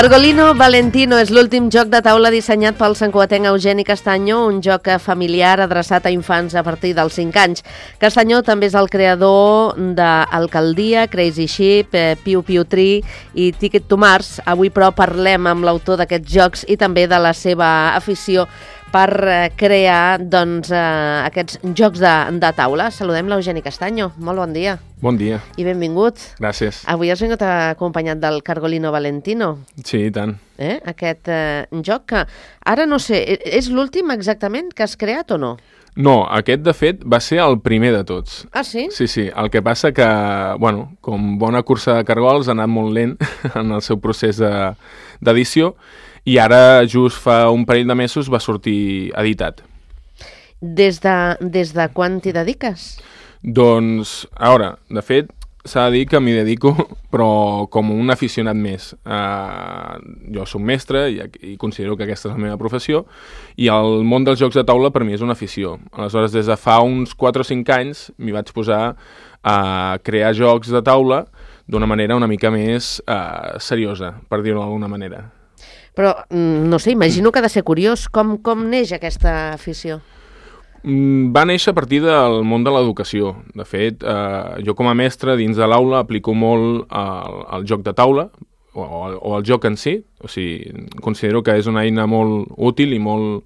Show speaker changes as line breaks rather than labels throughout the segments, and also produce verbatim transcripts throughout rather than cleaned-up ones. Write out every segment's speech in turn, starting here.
Cargolino Valentino és l'últim joc de taula dissenyat pel santcugatenc Eugeni Castaño, un joc familiar adreçat a infants a partir dels cinc anys. Castaño també és el creador d'Alcaldia, Crazy Ship, Piu Piu Tree i Ticket to Mars. Avui, però, parlem amb l'autor d'aquests jocs i també de la seva afició per crear doncs, eh, aquests jocs de, de taula. Saludem l'Eugeni Castaño. Molt bon dia.
Bon dia.
I benvingut.
Gràcies.
Avui has vingut acompanyat del Cargolino Valentino.
Sí, i tant.
Eh? Aquest eh, joc que, ara no sé, és l'últim exactament que has creat o no?
No, aquest, de fet, va ser el primer de tots.
Ah, sí?
Sí, sí. El que passa que, bueno, com bona cursa de cargols, ha anat molt lent en el seu procés de, d'edició i ara, just fa un parell de mesos, va sortir editat.
Des de, des de quan t'hi dediques?
Doncs, a veure, de fet, s'ha de dir que m'hi dedico, però com un aficionat més. Uh, jo soc mestre i, i considero que aquesta és la meva professió i el món dels jocs de taula per mi és una afició. Aleshores, des de fa uns quatre o cinc anys m'hi vaig posar a crear jocs de taula d'una manera una mica més uh, seriosa, per dir-ho d'alguna manera.
Però, no sé, imagino que ha de ser curiós. Com, com neix aquesta afició?
Va néixer a partir del món de l'educació. De fet, eh, jo com a mestre dins de l'aula aplico molt el, el joc de taula o, o el joc en si. O sigui, considero que és una eina molt útil i molt,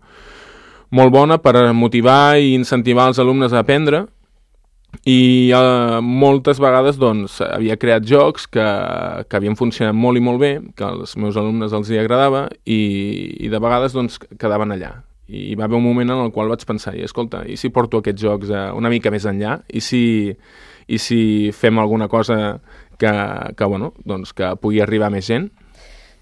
molt bona per motivar i incentivar els alumnes a aprendre. I eh, moltes vegades doncs, havia creat jocs que, que havien funcionat molt i molt bé, que als meus alumnes els hi agradava i, i de vegades doncs, quedaven allà. I hi va haver un moment en el qual vaig pensar, i escolta, i si porto aquests jocs eh, una mica més enllà? I si, i si fem alguna cosa que, que, bueno, doncs, que pugui arribar a més gent?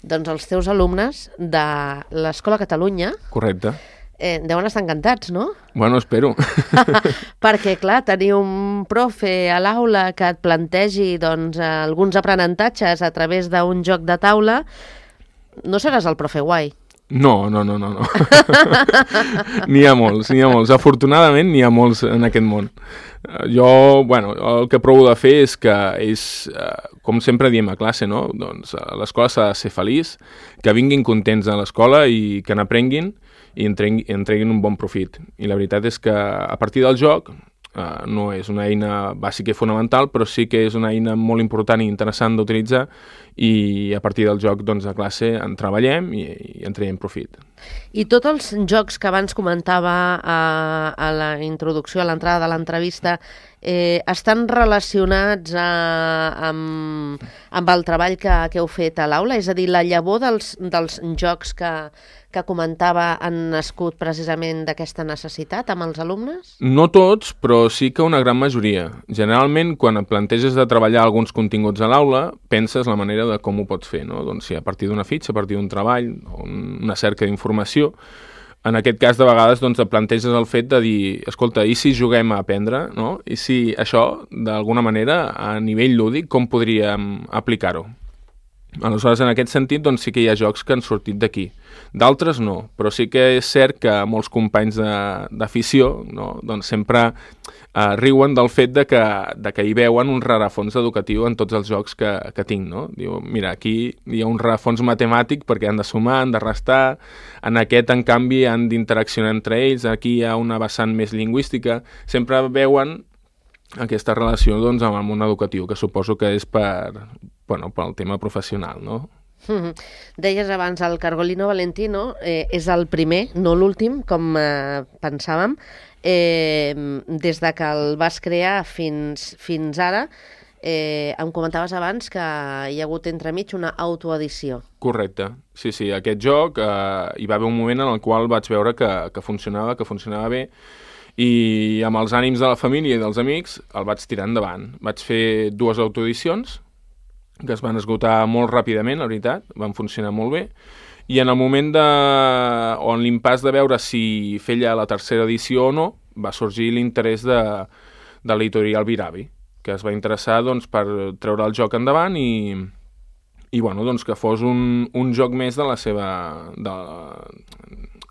Doncs els teus alumnes de l'Escola Catalunya...
Correcte.
Eh, deuen estar encantats, no?
Bueno, espero.
Perquè, clar, tenir un profe a l'aula que et plantegi doncs, alguns aprenentatges a través d'un joc de taula, no seràs el profe guai.
No, no, no, no, no. N'hi ha molts, n'hi ha molts. Afortunadament n'hi ha molts en aquest món. Jo, bueno, el que provo de fer és que és, com sempre diem a classe, no? Doncs a l'escola s'ha de ser feliç, que vinguin contents a l'escola i que n'aprenguin i en treguin un bon profit. I la veritat és que a partir del joc uh, no és una eina bàsica i fonamental, però sí que és una eina molt important i interessant d'utilitzar i a partir del joc doncs, a classe en treballem i, i en traiem profit.
I tots els jocs que abans comentava a, a la introducció, a l'entrada de l'entrevista, eh, estan relacionats a, amb, amb el treball que, que heu fet a l'aula? És a dir, la llavor dels, dels jocs que, que comentava han nascut precisament d'aquesta necessitat amb els alumnes?
No tots, però sí que una gran majoria. Generalment, quan et planteges de treballar alguns continguts a l'aula, penses la manera de com ho pots fer, no? Doncs si a partir d'una fitxa, a partir d'un treball, una cerca d'informació, en aquest cas de vegades doncs, et planteges el fet de dir, escolta, i si juguem a aprendre, no? I si això, d'alguna manera, a nivell lúdic, com podríem aplicar-ho? Aleshores, en aquest sentit, doncs sí que hi ha jocs que han sortit d'aquí. D'altres no, però sí que és cert que molts companys d'afició no? doncs sempre eh, riuen del fet de que, de que hi veuen un rerefons educatiu en tots els jocs que, que tinc. No? Diu, mira, aquí hi ha un rerefons matemàtic perquè han de sumar, han de restar, en aquest, en canvi, han d'interaccionar entre ells, aquí hi ha una vessant més lingüística, sempre veuen aquesta relació doncs, amb el món educatiu, que suposo que és per, bueno, pel tema professional, no?
Mm-hmm. Deies abans, el Cargolino Valentino eh, és el primer, no l'últim, com eh, pensàvem. Eh, des de que el vas crear fins, fins ara, eh, em comentaves abans que hi ha hagut entremig una autoedició.
Correcte. Sí, sí, aquest joc eh, hi va haver un moment en el qual vaig veure que, que funcionava, que funcionava bé, i amb els ànims de la família i dels amics el vaig tirar endavant. Vaig fer dues autoedicions que es van esgotar molt ràpidament, la veritat, van funcionar molt bé, i en el moment de... on l'impàs de veure si feia la tercera edició o no, va sorgir l'interès de, de l'editorial Viravi, que es va interessar doncs, per treure el joc endavant i, i bueno, doncs, que fos un, un joc més de la seva, de,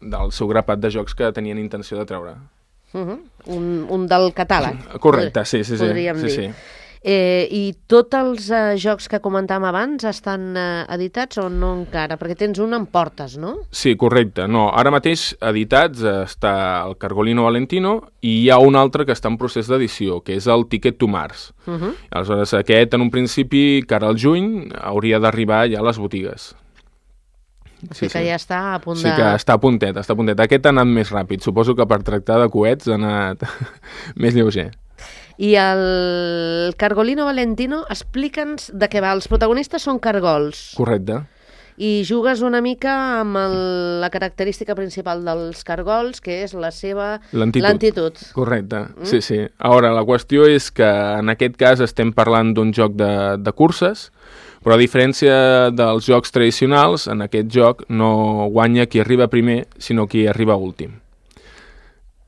del seu grapat de jocs que tenien intenció de treure.
Uh-huh. un, un del catàleg.
Correcte, sí, sí, sí.
Podríem
sí,
dir.
sí.
Eh, I tots els eh, jocs que comentàvem abans estan eh, editats o no encara? Perquè tens un en portes, no?
Sí, correcte. No, ara mateix editats eh, està el Cargolino Valentino i hi ha un altre que està en procés d'edició, que és el Ticket to Mars. Uh-huh. Aleshores, aquest, en un principi, cara al juny, hauria d'arribar ja a les botigues.
Sí, que sí. Ja està a punt de...
Sí que està a puntet, està a puntet. Aquest ha anat més ràpid. Suposo que per tractar de coets ha anat més lleuger.
I el Cargolino Valentino, explica'ns de què va. Els protagonistes són cargols.
Correcte.
I jugues una mica amb el, la característica principal dels cargols, que és la seva lentitud.
Correcte, mm? sí, sí. Ara, la qüestió és que en aquest cas estem parlant d'un joc de, de curses, però a diferència dels jocs tradicionals, en aquest joc no guanya qui arriba primer, sinó qui arriba últim.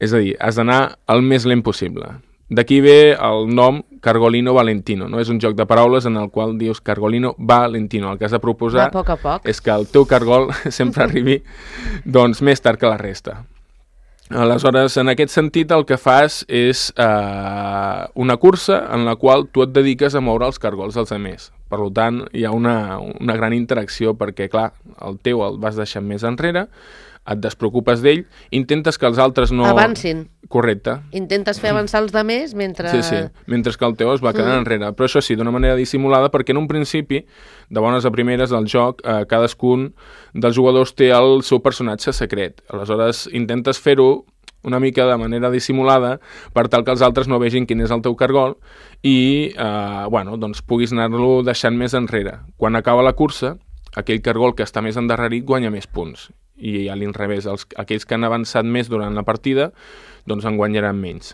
És a dir, has d'anar el més lent possible. D'aquí ve el nom Cargolino Valentino, no? És un joc de paraules en el qual dius Cargolino Valentino. El que has de proposar
a poc a poc.
és que el teu cargol sempre arribi doncs, més tard que la resta. Aleshores, en aquest sentit, el que fas és eh, una cursa en la qual tu et dediques a moure els cargols dels altres. Per tant, hi ha una, una gran interacció perquè, clar, el teu el vas deixant més enrere, et despreocupes d'ell, intentes que els altres no...
avancin.
Correcte.
Intentes fer avançar els altres mentre...
Sí, sí, mentre que el teu es va quedant mm. enrere. Però això sí, d'una manera dissimulada, perquè en un principi, de bones a primeres del joc, eh, cadascun dels jugadors té el seu personatge secret. Aleshores, intentes fer-ho una mica de manera dissimulada per tal que els altres no vegin quin és el teu cargol i, eh, bueno, doncs puguis anar-lo deixant més enrere. Quan acaba la cursa, aquell cargol que està més endarrerit guanya més punts. I a l'inrevés, els, aquells que han avançat més durant la partida doncs en guanyaran menys.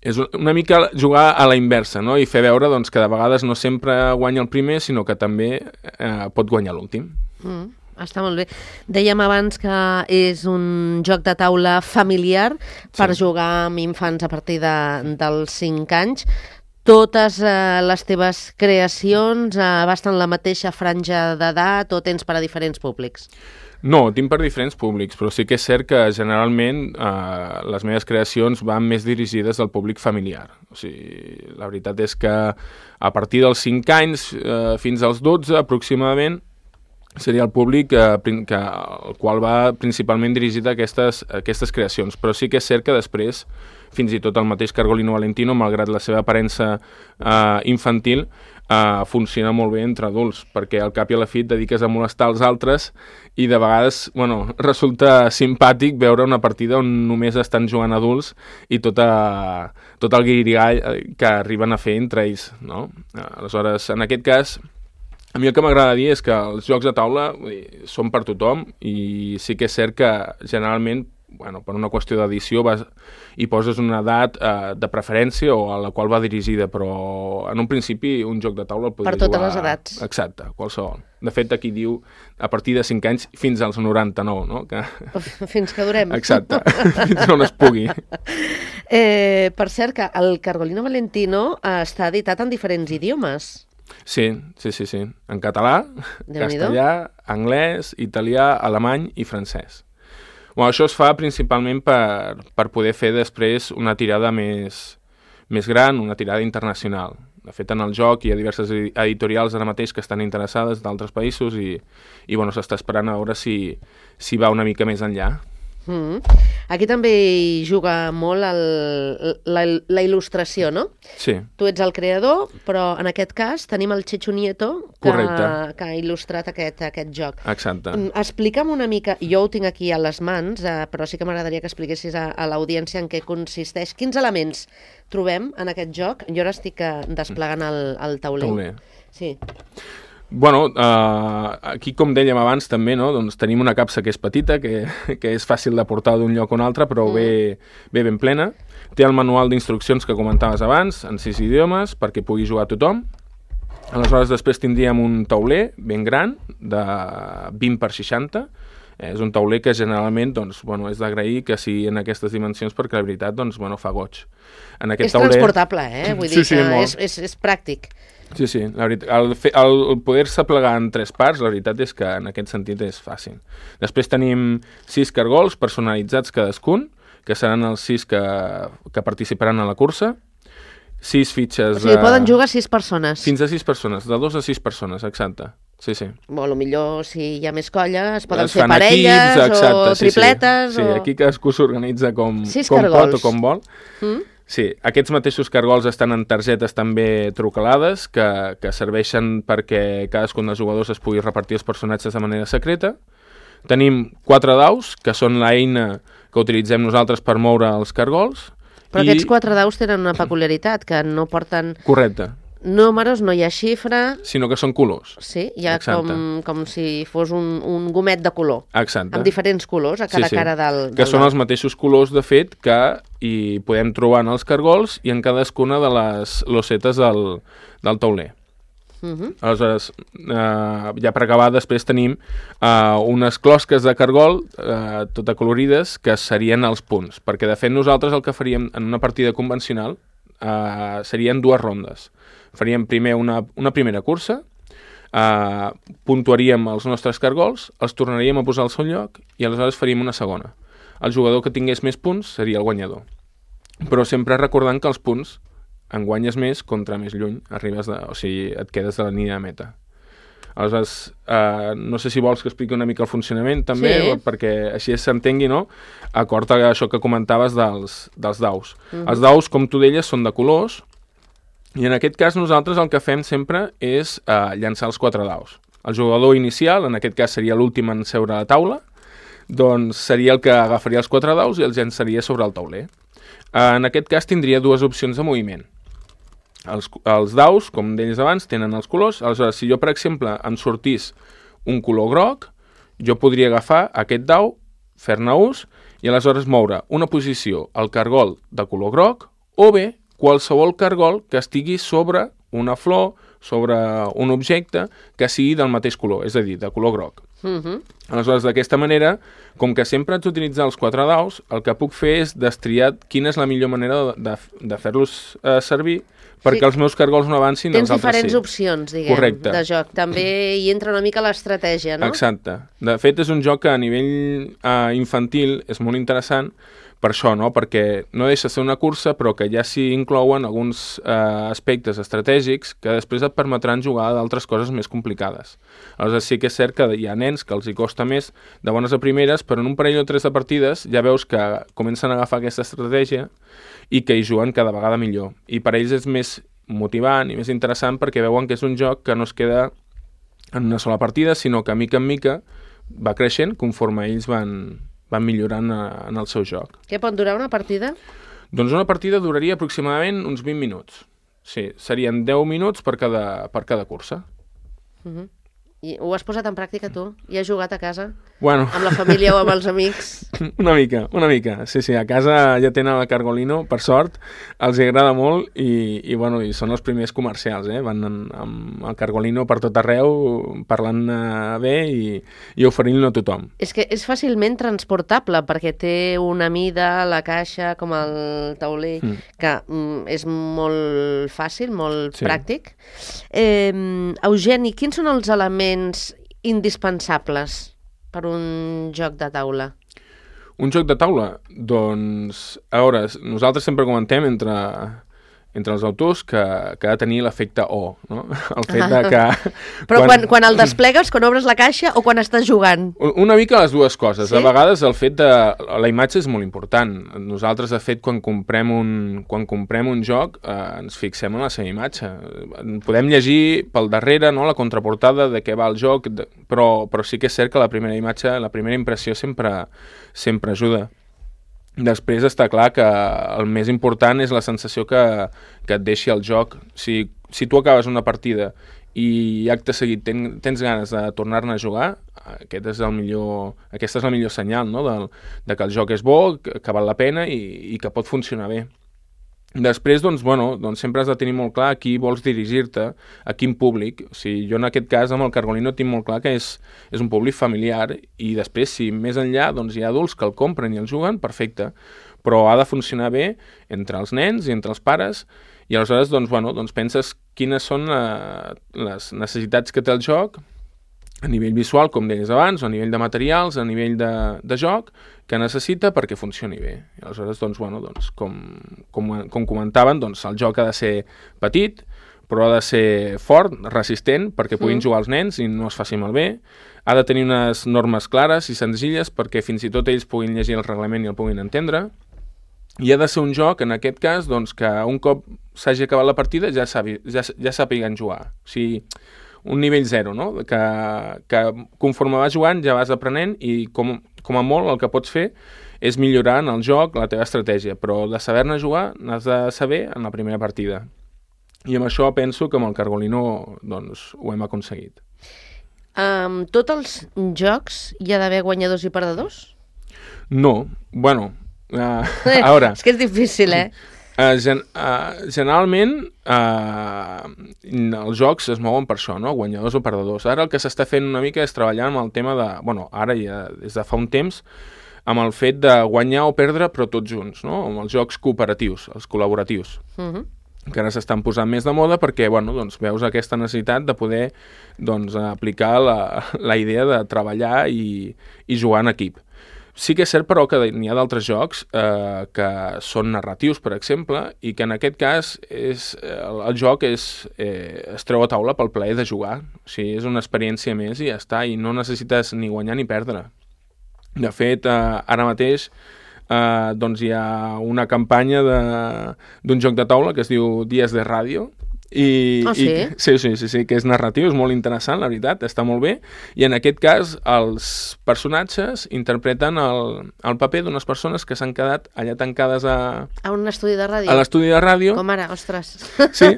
És una mica jugar a la inversa, no? I fer veure doncs, que de vegades no sempre guanya el primer, sinó que també eh, pot guanyar l'últim.
Mm, està molt bé. Dèiem abans que és un joc de taula familiar per sí. jugar amb infants a partir de, dels cinc anys. Totes eh, les teves creacions eh, abasten la mateixa franja d'edat o tens per a diferents públics?
No, tinc per diferents públics, però sí que és cert que generalment eh, les meves creacions van més dirigides al públic familiar. O sigui, la veritat és que a partir dels cinc anys eh, fins als dotze aproximadament seria el públic eh, que, el qual va principalment dirigit a aquestes, a aquestes creacions. Però sí que és cert que després, fins i tot el mateix Cargolino Valentino, malgrat la seva aparença eh, infantil, Uh, funciona molt bé entre adults, perquè al cap i a la fi et dediques a molestar els altres i de vegades, bueno, resulta simpàtic veure una partida on només estan jugant adults i tot, a, tot el guirigall que arriben a fer entre ells, no? Uh, aleshores, en aquest cas, a mi el que m'agrada dir és que els jocs de taula vull dir, són per tothom i sí que és cert que generalment bueno, per una qüestió d'edició vas, hi poses una edat eh, de preferència o a la qual va dirigida, però en un principi un joc de taula el podria
jugar... Per totes
jugar...
les edats.
Exacte, qualsevol. De fet, aquí diu a partir de cinc anys fins als noranta-nou, no? Que...
Fins que durem.
Exacte, fins on es pugui.
Eh, per cert, que el Cargolino Valentino eh, està editat en diferents idiomes.
Sí, sí, sí, sí. En català, castellà, anglès, italià, alemany i francès. Bueno, això es fa principalment per, per poder fer després una tirada més, més gran, una tirada internacional. De fet, en el joc hi ha diverses editorials ara mateix que estan interessades d'altres països i, i bueno, s'està esperant a veure si, si va una mica més enllà.
Mm. Aquí també hi juga molt el, la, la il·lustració, no?
Sí.
Tu ets el creador, però en aquest cas tenim el Chechu Nieto que, que ha il·lustrat aquest, aquest joc.
Exacte.
Explica'm una mica, jo ho tinc aquí a les mans, eh, però sí que m'agradaria que expliquessis a, a l'audiència en què consisteix. Quins elements trobem en aquest joc? Jo ara estic desplegant el, el tauler.
Tauler.
Sí.
Bueno, uh, aquí, com dèiem abans, també, no? Doncs tenim una capsa que és petita, que, que és fàcil de portar d'un lloc a un altre, però mm. ve, ve ben plena. Té el manual d'instruccions que comentaves abans, en sis idiomes, perquè pugui jugar tothom. Aleshores, després tindríem un tauler ben gran, de vint per seixanta. És un tauler que generalment doncs, bueno, és d'agrair que sigui en aquestes dimensions, perquè la veritat doncs, bueno, fa goig. En aquest
és
tauler...
transportable, eh? Vull dir
sí, sí,
que
molt.
és, és, és pràctic.
Sí, sí, la veritat, el, fe, el, el poder-se plegar en tres parts, la veritat és que en aquest sentit és fàcil. Després tenim sis cargols personalitzats cadascun, que seran els sis que, que participaran a la cursa. Sis fitxes...
O sigui, de... poden jugar sis persones.
Fins a sis persones, de dos a sis persones, exacte. Sí, sí.
Bueno, potser si hi ha més colla es poden
es
fer parelles equips, exacte, o tripletes.
Sí, sí.
O...
sí, aquí cadascú s'organitza com,
sis
com
cargols.
pot o com vol. Mm? Sí, aquests mateixos cargols estan en targetes també trucalades que, que serveixen perquè cadascun dels jugadors es pugui repartir els personatges de manera secreta. Tenim quatre daus, que són l'eina que utilitzem nosaltres per moure els cargols.
Però i... aquests quatre daus tenen una peculiaritat, que no porten...
Correcte.
Números, no hi ha xifra...
Sinó que són colors.
Sí, hi ha com, com si fos un, un gomet de color.
Exacte.
Amb diferents colors a cada sí, sí. cara del, del
Que són
dau.
Els mateixos colors, de fet, que hi podem trobar en els cargols i en cadascuna de les losetes del, del tauler. Uh -huh. Aleshores, eh, ja per acabar, després tenim eh, unes closques de cargol eh, tot acolorides que serien els punts, perquè de fet nosaltres el que faríem en una partida convencional eh, serien dues rondes. Faríem primer una, una primera cursa, eh, puntuaríem els nostres cargols, els tornaríem a posar al seu lloc i aleshores faríem una segona. El jugador que tingués més punts seria el guanyador. Però sempre recordant que els punts en guanyes més contra més lluny arribes de, o sigui, et quedes de la línia de meta. Aleshores, eh, no sé si vols que expliqui una mica el funcionament també, sí. perquè així s'entengui, no? Acord a això que comentaves dels, dels daus. Uh-huh. Els daus, com tu deies, són de colors i en aquest cas nosaltres el que fem sempre és eh, llançar els quatre daus. El jugador inicial, en aquest cas seria l'últim en seure a la taula, doncs seria el que agafaria els quatre daus i els llançaria sobre el tauler. Eh, en aquest cas tindria dues opcions de moviment. Els, els daus, com deies abans, tenen els colors. Aleshores, si jo, per exemple, em sortís un color groc, jo podria agafar aquest dau, fer-ne ús, i aleshores moure una posició al cargol de color groc, o bé qualsevol cargol que estigui sobre una flor, sobre un objecte que sigui del mateix color, és a dir, de color groc. Uh-huh. Aleshores, d'aquesta manera, com que sempre haig d'utilitzar els quatre daus, el que puc fer és destriar quina és la millor manera de, de, de fer-los eh, servir perquè sí. els meus cargols no avancin,
tens
els altres sí.
diferents opcions, diguem,
correcte.
De joc. També hi entra una mica l'estratègia, no?
Exacte. De fet, és un joc que a nivell eh, infantil és molt interessant per això, no? Perquè no deixa de ser una cursa, però que ja s'hi inclouen alguns eh, aspectes estratègics que després et permetran jugar d'altres coses més complicades. Aleshores, sí que és cert que hi ha nens que els hi costa més de bones a primeres, però en un parell o tres de partides ja veus que comencen a agafar aquesta estratègia i que hi juguen cada vegada millor. I per ells és més motivant i més interessant perquè veuen que és un joc que no es queda en una sola partida, sinó que mica en mica va creixent conforme ells van, van millorant a, en el seu joc.
Què pot durar una partida?
Doncs una partida duraria aproximadament uns vint minuts. Sí, serien deu minuts per cada, per cada cursa.
Uh-huh. I ho has posat en pràctica tu? I has jugat a casa?
Bueno.
Amb la família o amb els amics?
Una mica, una mica. Sí, sí, a casa ja tenen el Cargolino, per sort, els agrada molt i, i, bueno, i són els primers comercials, eh? Van en, amb el Cargolino per tot arreu, parlant eh, bé i, i oferint-lo a tothom.
És que és fàcilment transportable perquè té una mida, la caixa, com el tauler, mm. que mm, és molt fàcil, molt sí. pràctic. Eh, Eugeni, quins són els elements indispensables per un joc de taula?
Un joc de taula? Doncs, a veure, nosaltres sempre comentem entre, entre els autors que, que ha de tenir l'efecte O, no? El fet de que...
Però quan, quan, quan el desplegues, quan obres la caixa o quan estàs jugant?
Una mica les dues coses.
Sí?
A vegades el fet de... La imatge és molt important. Nosaltres, de fet, quan comprem un, quan comprem un joc, eh, ens fixem en la seva imatge. Podem llegir pel darrere, no?, la contraportada de què va el joc, de, però, però sí que és cert que la primera imatge, la primera impressió sempre, sempre ajuda. Després està clar que el més important és la sensació que, que et deixi el joc. Si, si tu acabes una partida i acte seguit ten, tens ganes de tornar-ne a jugar, aquest és el millor, aquesta és la millor senyal, no?, de, de que el joc és bo, que, que val la pena i, i que pot funcionar bé. Després, doncs, bueno, doncs sempre has de tenir molt clar a qui vols dirigir-te, a quin públic. O sigui, jo en aquest cas amb el Cargolino tinc molt clar que és, és un públic familiar i després, si més enllà doncs, hi ha adults que el compren i el juguen, perfecte, però ha de funcionar bé entre els nens i entre els pares i aleshores doncs, bueno, doncs penses quines són la, les necessitats que té el joc a nivell visual, com deies abans, o a nivell de materials, a nivell de, de joc, que necessita perquè funcioni bé. I aleshores, doncs, bueno, doncs, com, com, com comentaven, doncs, el joc ha de ser petit, però ha de ser fort, resistent, perquè puguin mm. jugar els nens i no es faci malbé. Ha de tenir unes normes clares i senzilles perquè fins i tot ells puguin llegir el reglament i el puguin entendre. I ha de ser un joc, en aquest cas, doncs, que un cop s'hagi acabat la partida ja, sabi, ja, ja sàpiguen jugar. O sigui, un nivell zero, no?, que, que conforme vas jugant ja vas aprenent i com, com a molt el que pots fer és millorar en el joc la teva estratègia, però de saber-ne jugar n'has de saber en la primera partida. I amb això penso que amb el Cargolino doncs, ho hem aconseguit.
Um, tots els jocs hi ha d'haver guanyadors i perdedors?
No, bueno, uh, a veure...
És que és difícil, eh?
Uh, gen uh, generalment uh, els jocs es mouen per això, no? Guanyadors o perdedors. Ara el que s'està fent una mica és treballar amb el tema de, bueno, ara ja des de fa un temps, amb el fet de guanyar o perdre però tots junts, no? Amb els jocs cooperatius, els col·laboratius. Uh-huh. Que ara s'estan posant més de moda perquè, bueno, doncs veus aquesta necessitat de poder doncs, aplicar la, la idea de treballar i, i jugar en equip. Sí que és cert, però, que n'hi ha d'altres jocs eh, que són narratius, per exemple, i que en aquest cas és, el, el joc és, eh, es treu a taula pel plaer de jugar. O sigui, és una experiència més i ja està, i no necessites ni guanyar ni perdre. De fet, eh, ara mateix eh, doncs hi ha una campanya d'un joc de taula que es diu Dies de Ràdio, I,
oh, sí?
i, sí, sí, sí, sí, que és narratiu, és molt interessant, la veritat, està molt bé, i en aquest cas els personatges interpreten el, el paper d'unes persones que s'han quedat allà tancades a...
A un estudi de ràdio?
A l'estudi de ràdio.
Com ara, ostres.
Sí,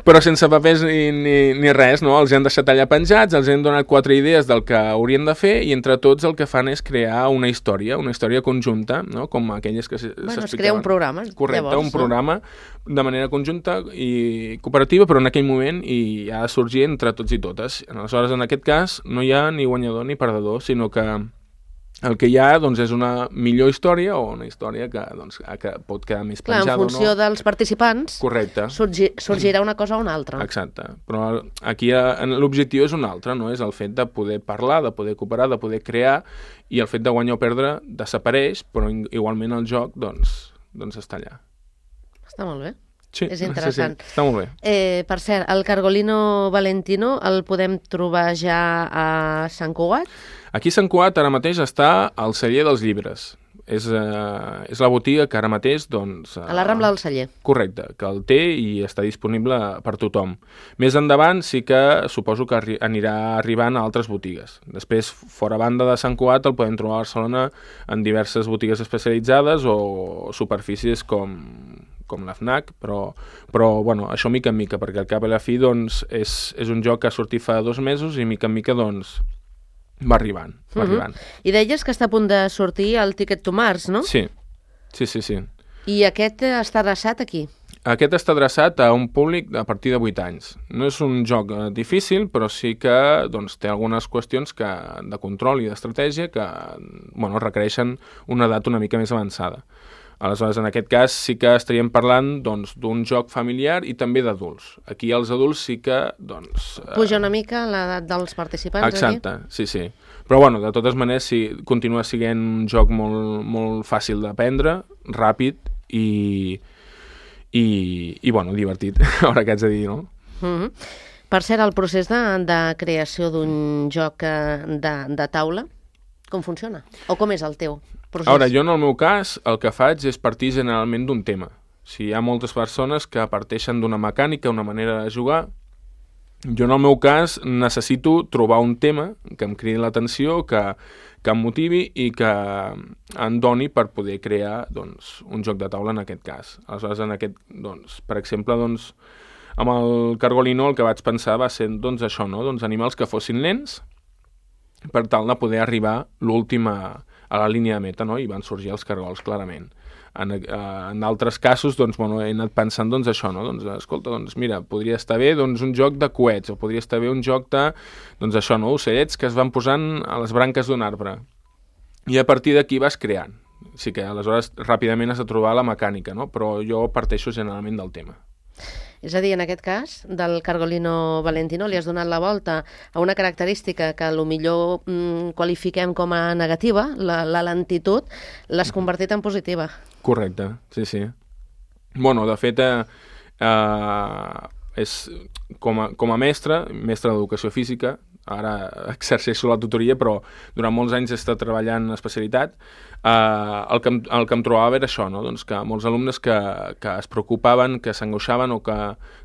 però sense papers ni, ni, ni res, no? Els han deixat allà penjats, els han donat quatre idees del que haurien de fer i entre tots el que fan és crear una història, una història conjunta, no? Com aquelles que s'explicaven.
Bueno, es crea un programa.
Correcte,
llavors,
un programa de manera conjunta i cooperativa, però en aquell moment i ha de sorgir entre tots i totes. Aleshores, en aquest cas, no hi ha ni guanyador ni perdedor, sinó que el que hi ha doncs, és una millor història o una història que, doncs, que pot quedar més
Clar,
penjada o no.
En funció dels participants
Correcte.
Sorgi, sorgirà una cosa o una altra.
Exacte. Però aquí l'objectiu és un altre, no? És el fet de poder parlar, de poder cooperar, de poder crear, i el fet de guanyar o perdre desapareix, però igualment el joc doncs, doncs està allà.
Està molt bé.
Sí,
és interessant.
Sí, sí, està molt bé.
Eh, per cert, el Cargolino Valentino el podem trobar ja a Sant Cugat?
Aquí a Sant Cugat ara mateix està al celler dels llibres. És, eh, és la botiga que ara mateix... Doncs, eh,
a la Rambla del Celler.
Correcte, que el té i està disponible per tothom. Més endavant sí que suposo que arri anirà arribant a altres botigues. Després, fora banda de Sant Cugat, el podem trobar a Barcelona en diverses botigues especialitzades o superfícies com... com la FNAC, però, però bueno, això mica en mica, perquè al cap i a la fi doncs, és, és un joc que ha sortit fa dos mesos i mica en mica doncs, va arribant. Va uh-huh. arribant.
I deies que està a punt de sortir el Ticket to Mars, no?
Sí, sí, sí. sí.
I aquest està adreçat aquí?
Aquest està adreçat a un públic a partir de vuit anys. No és un joc eh, difícil, però sí que doncs, té algunes qüestions que, de control i d'estratègia que bueno, requereixen una edat una mica més avançada. Aleshores, en aquest cas sí que estaríem parlant doncs, d'un joc familiar i també d'adults. Aquí els adults sí que... Doncs,
puja una mica l'edat dels participants.
Exacte,
aquí?
sí, sí. Però bueno, de totes maneres sí, continua sent un joc molt, molt fàcil d'aprendre, ràpid i, i, i bueno, divertit, ara que haig de dir, no?
Mm-hmm. Per cert, el procés de, de creació d'un joc de, de taula, com funciona? O com és el teu procés?
Ara, jo en el meu cas, el que faig és partir generalment d'un tema. Si hi ha moltes persones que parteixen d'una mecànica, una manera de jugar, jo en el meu cas necessito trobar un tema que em cridi l'atenció, que, que em motivi i que em doni per poder crear doncs, un joc de taula en aquest cas. Aleshores, en aquest, doncs, per exemple, doncs, amb el Cargolino el que vaig pensar va ser doncs, això, no? Doncs, animals que fossin lents per tal de poder arribar l'última a la línia de meta, no? I van sorgir els cargols, clarament. En, eh, en altres casos, doncs, bueno, he anat pensant doncs, això, no? Doncs, escolta, doncs, mira, podria estar bé doncs, un joc de coets, o podria estar bé un joc de, doncs, això, no? Ocellets que es van posant a les branques d'un arbre. I a partir d'aquí vas creant. Sí que aleshores ràpidament has de trobar la mecànica, no? Però jo parteixo generalment del tema.
És a dir, en aquest cas, del Cargolino Valentino li has donat la volta a una característica que potser mm, qualifiquem com a negativa, la, la lentitud, l'has convertit en positiva.
Correcte, sí, sí. Bueno, de fet, eh, eh, és, com, a, com a mestre, mestre d'educació física, ara exerceixo la tutoria, però durant molts anys he estat treballant en especialitat, eh, el, que em, el que em trobava era això, no? Doncs que molts alumnes que, que es preocupaven, que s'angoixaven o que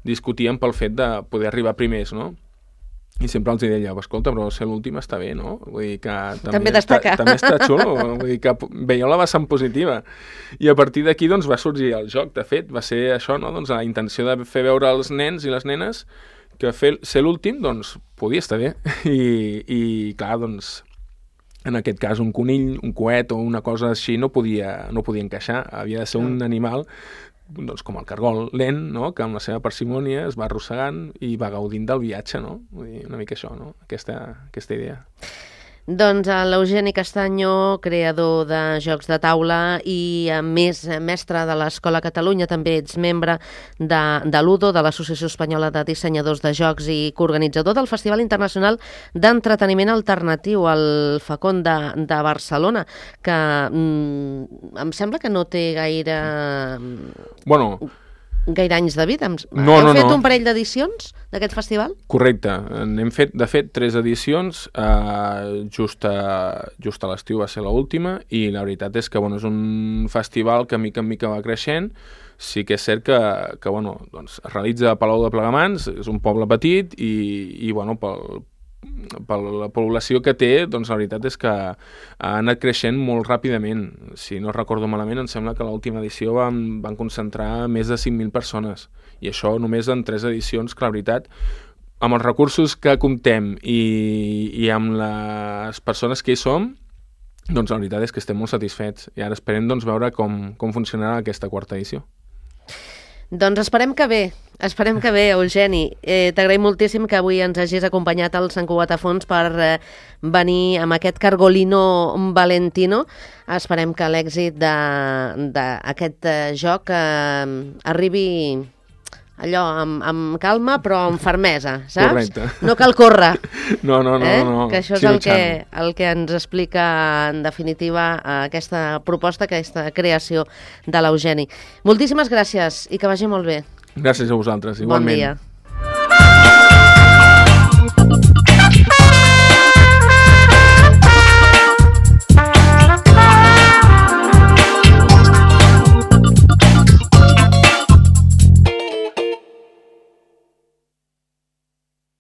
discutien pel fet de poder arribar primers, no? I sempre els deia, escolta, però ser l'últim està bé, no? Vull dir que també,
també destaca.
Està, també està xulo, vull dir que veieu la vessant positiva. I a partir d'aquí doncs, va sorgir el joc, de fet, va ser això, no? Doncs la intenció de fer veure als nens i les nenes que fer, ser l'últim, doncs, podia estar bé. I, i clar, doncs, en aquest cas, un conill, un coet o una cosa així no podia, no podia encaixar. Havia de ser un animal, doncs, com el cargol, lent, no? Que amb la seva parsimònia es va arrossegant i va gaudint del viatge, no? Vull dir, una mica això, no? Aquesta, aquesta idea.
Doncs l'Eugeni Castanyo, creador de jocs de taula i a més mestre de l'Escola Catalunya, també ets membre de, de l'Udo, de l'Associació Espanyola de Dissenyadors de Jocs i coorganitzador del Festival Internacional d'Entreteniment Alternatiu, el Facon de, de Barcelona, que mm, em sembla que no té gaire...
Bueno...
gaire anys de vida.
No,
Heu
no,
fet
no.
un parell d'edicions d'aquest festival?
Correcte. N'hem fet, de fet, tres edicions. Uh, just a, just a l'estiu va ser l'última i la veritat és que bueno, és un festival que mica en mica va creixent. Sí que és cert que, que bueno, doncs, es realitza a Palau de Plegamans, és un poble petit i, i bueno, pel, per la població que té, doncs la veritat és que ha anat creixent molt ràpidament. Si no recordo malament, em sembla que a l'última edició van, van concentrar més de cinc mil persones. I això només en tres edicions, que la veritat, amb els recursos que comptem i, i amb les persones que hi som, doncs la veritat és que estem molt satisfets. I ara esperem doncs, veure com, com funcionarà aquesta quarta edició.
Doncs esperem que bé, esperem que bé, Eugeni. Eh, T'agraïm moltíssim que avui ens hagis acompanyat al Sant Cugat a Fons per eh, venir amb aquest Cargolino Valentino. Esperem que l'èxit d'aquest eh, joc eh, arribi allò amb, amb calma però amb fermesa, saps?
Correcte.
No cal córrer.
No, no, no.
Eh?
no.
Que això és
sí,
el que, el que ens explica en definitiva aquesta proposta, aquesta creació de l'Eugeni. Moltíssimes gràcies i que vagi molt bé.
Gràcies a vosaltres, igualment.
Bon dia.